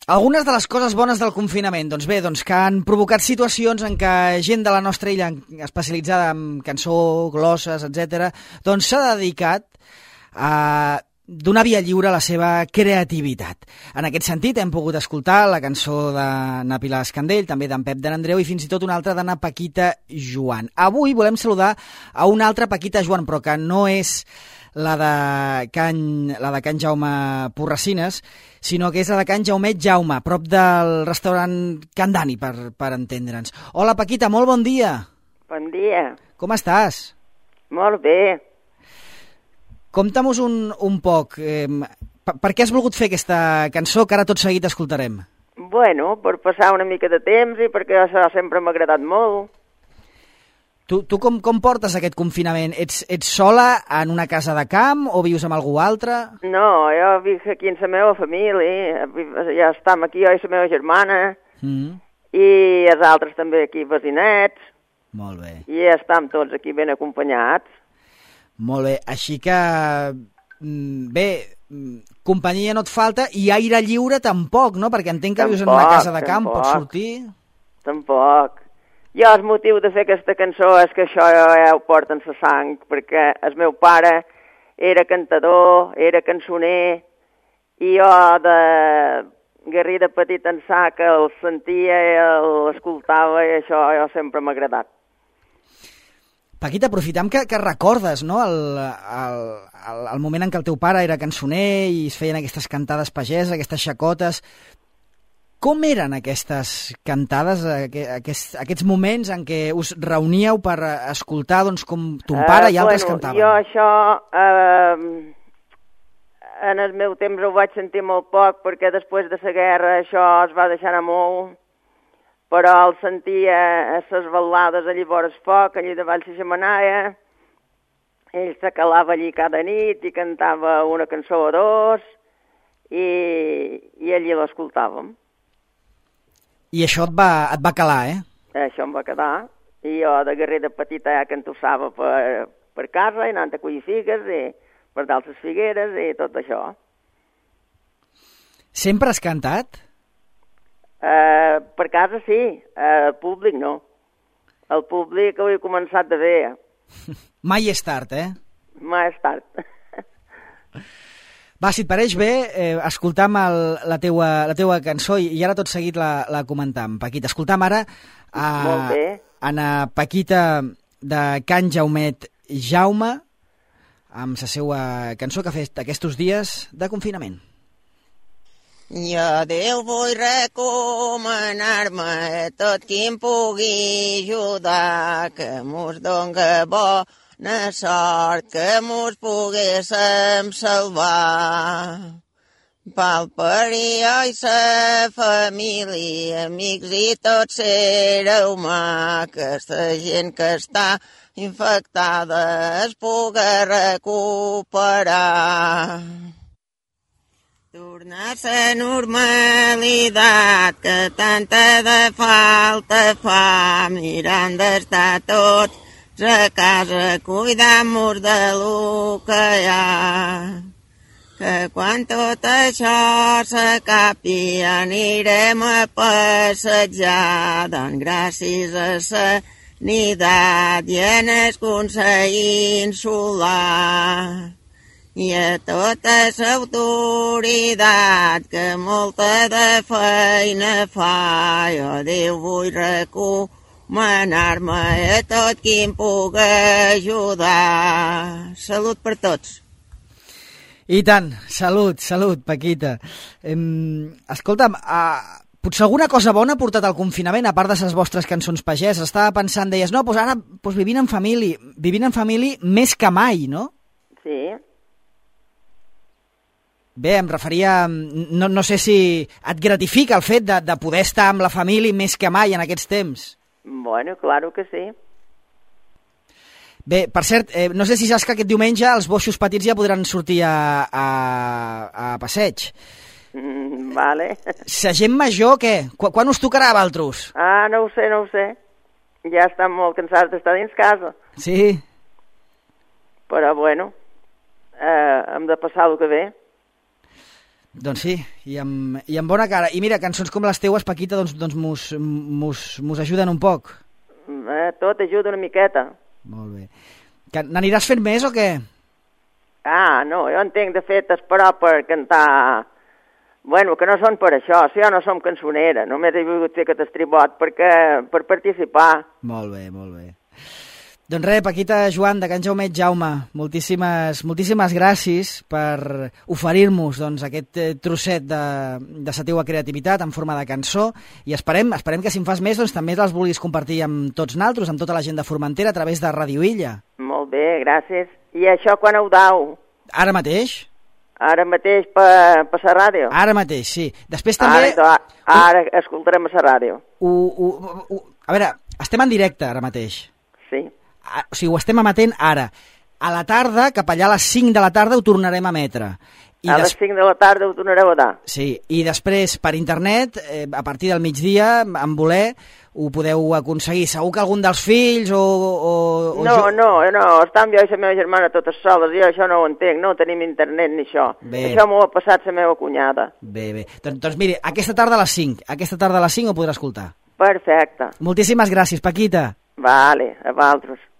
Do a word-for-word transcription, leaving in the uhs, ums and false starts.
Algunes de les coses bones del confinament, doncs bé, doncs que han provocat situacions en què gent de la nostra illa especialitzada en cançó, glosses, etcètera, doncs s'ha dedicat a donar via lliure a la seva creativitat. En aquest sentit, hem pogut escoltar la cançó de na Pilar Escandell, també d'en Pep de n'Andreu i fins i tot una altra de na Paquita Joan. Avui volem saludar a una altra Paquita Joan, però que no és la de Can, la de Can Jaume Porracines, sinó que és la de Can Jaumet Jaume, prop del restaurant Can Dani, per, per entendre'ns. Hola, Paquita, molt bon dia. Bon dia. Com estàs? Molt bé. Compta'm-nos un, un poc. Eh, per, per què has volgut fer aquesta cançó que ara tot seguit escoltarem? Bueno, per passar una mica de temps i perquè això sempre m'ha agradat molt. Tu, tu com, com portes aquest confinament? Ets, ets sola en una casa de camp o vius amb algú altre? No, jo vic aquí amb la meva família, ja estem aquí jo i la meva germana, mm. i els altres també aquí vecinets. Molt bé. I estem tots aquí ben acompanyats. Molt bé, així que, bé, companyia no et falta i aire lliure tampoc, no? Perquè entenc que tampoc, vius en una casa de camp, tampoc. Pots sortir? Tampoc. Jo el motiu de fer aquesta cançó és que això ja ho porta en la sang, perquè el meu pare era cantador, era cançoner, i jo de garrí de petit ençà que el sentia i l'escoltava, i això jo sempre m'ha agradat. Paquita, aprofitem que, que recordes, no?, el, el, el, el moment en què el teu pare era cançoner i es feien aquestes cantades pageses, aquestes xacotes. Com eren aquestes cantades, aquests, aquests moments en què us reuníeu per escoltar doncs, com ton pare uh, i altres bueno, cantaven? Jo això, eh, en el meu temps ho vaig sentir molt poc, perquè després de la guerra això es va deixar anar molt, però el sentia a les balades allí vora el foc, allí davall la xemenaia, ell se calava allí cada nit i cantava una cançó o dos, i, i allí l'escoltàvem. I això et va, et va calar, eh? Això em va quedar. I jo de guerrer de petita ja cantussava per, per casa, i anant a collir figues, i per dalt les figueres, i tot això. Sempre has cantat? Uh, per casa sí, uh, el públic no. El públic ho he començat de bé. Mai és tard, eh? Mai és tard. Va, si et pareix bé, eh, escoltam el, la, teua, la teua cançó i, i ara tot seguit la, la comentam. Paquita, escoltam ara a, a na Paquita de Can Jaumet Jaume amb la seva cançó que ha fet aquests dies de confinament. Jo Déu vull recomanar-me tot qui em pugui ajudar, que mos donga bo na sort que mos poguéssim salvar. Pel perill i sa família, amics i tot ser humà, que la gent que està infectada es puga recuperar. Tornar a la normalitat que tanta de falta fa, mirant d'estar tots a casa, cuidam-nos de lo que hi ha. Que quan tot això s'acabi anirem a passejar, doncs gràcies a la sanitat i en el Consell Insular. I a tota l'autoritat que molta de feina fa, jo Déu vull recomanar-me a tot qui em puga ajudar. Salut per tots. I tant, salut, salut, Paquita. Um, escolta'm, uh, potser alguna cosa bona ha portat el confinament, a part de les vostres cançons pagès. Estava pensant, deies, no, doncs ara doncs vivint en família, vivint en família més que mai, no? Sí. Bé, em referia, no, no sé si et gratifica el fet de, de poder estar amb la família més que mai en aquests temps. Bueno, claro que sí. Bé, per cert, eh, no sé si saps que aquest diumenge els boixos petits ja podran sortir a, a, a passeig. Mm, vale. La gent major, què? Qu quan us tocarà a vosaltres? Ah, no ho sé, no ho sé. Ja estan molt cansats d'estar dins casa. Sí. Però, bueno, eh, hem de passar el que ve. Doncs sí, i amb, i amb bona cara. I mira, cançons com les teues, Paquita, doncs, doncs mos, mos, mos ajuden un poc. Eh, tot ajuda una miqueta. Molt bé. Que n'aniràs fent més o què? Ah, no, jo entenc, de fet, esperar per cantar... Bueno, que no són per això, si jo no som cançonera, només he volgut fer aquest estribot perquè, per participar. Molt bé, molt bé. Doncs res, Paquita Joan, de Can Jaumet Jaume, moltíssimes, moltíssimes gràcies per oferir-nos doncs, aquest trosset de, de la teua creativitat en forma de cançó i esperem, esperem que si en fas més doncs, també les vulguis compartir amb tots naltros, amb tota la gent de Formentera a través de Ràdio Illa. Molt bé, gràcies. I això quan ho dau? Ara mateix? Ara mateix per, per la ràdio? Ara mateix, sí. Després també... Ara, ara escoltarem a la ràdio. Ho, ho, ho, a veure, estem en directe ara mateix. Sí. O sigui, ho estem emetent ara. A la tarda, cap allà a les cinc de la tarda, ho tornarem a emetre. I a des... les cinc de la tarda ho tornareu a dar. Sí, i després per internet, eh, a partir del migdia, en voler, ho podeu aconseguir. Segur que algun dels fills o... o, o no, jo... no, no, estem jo i la meva germana totes soles, jo això no ho entenc, no tenim internet ni això. Bé. Això m'ho ha passat la meva cunyada. Bé, bé. Doncs, doncs mire, aquesta tarda a les cinc, aquesta tarda a les cinc ho podrà escoltar. Perfecte. Moltíssimes gràcies, Paquita. Vale, a vosaltres.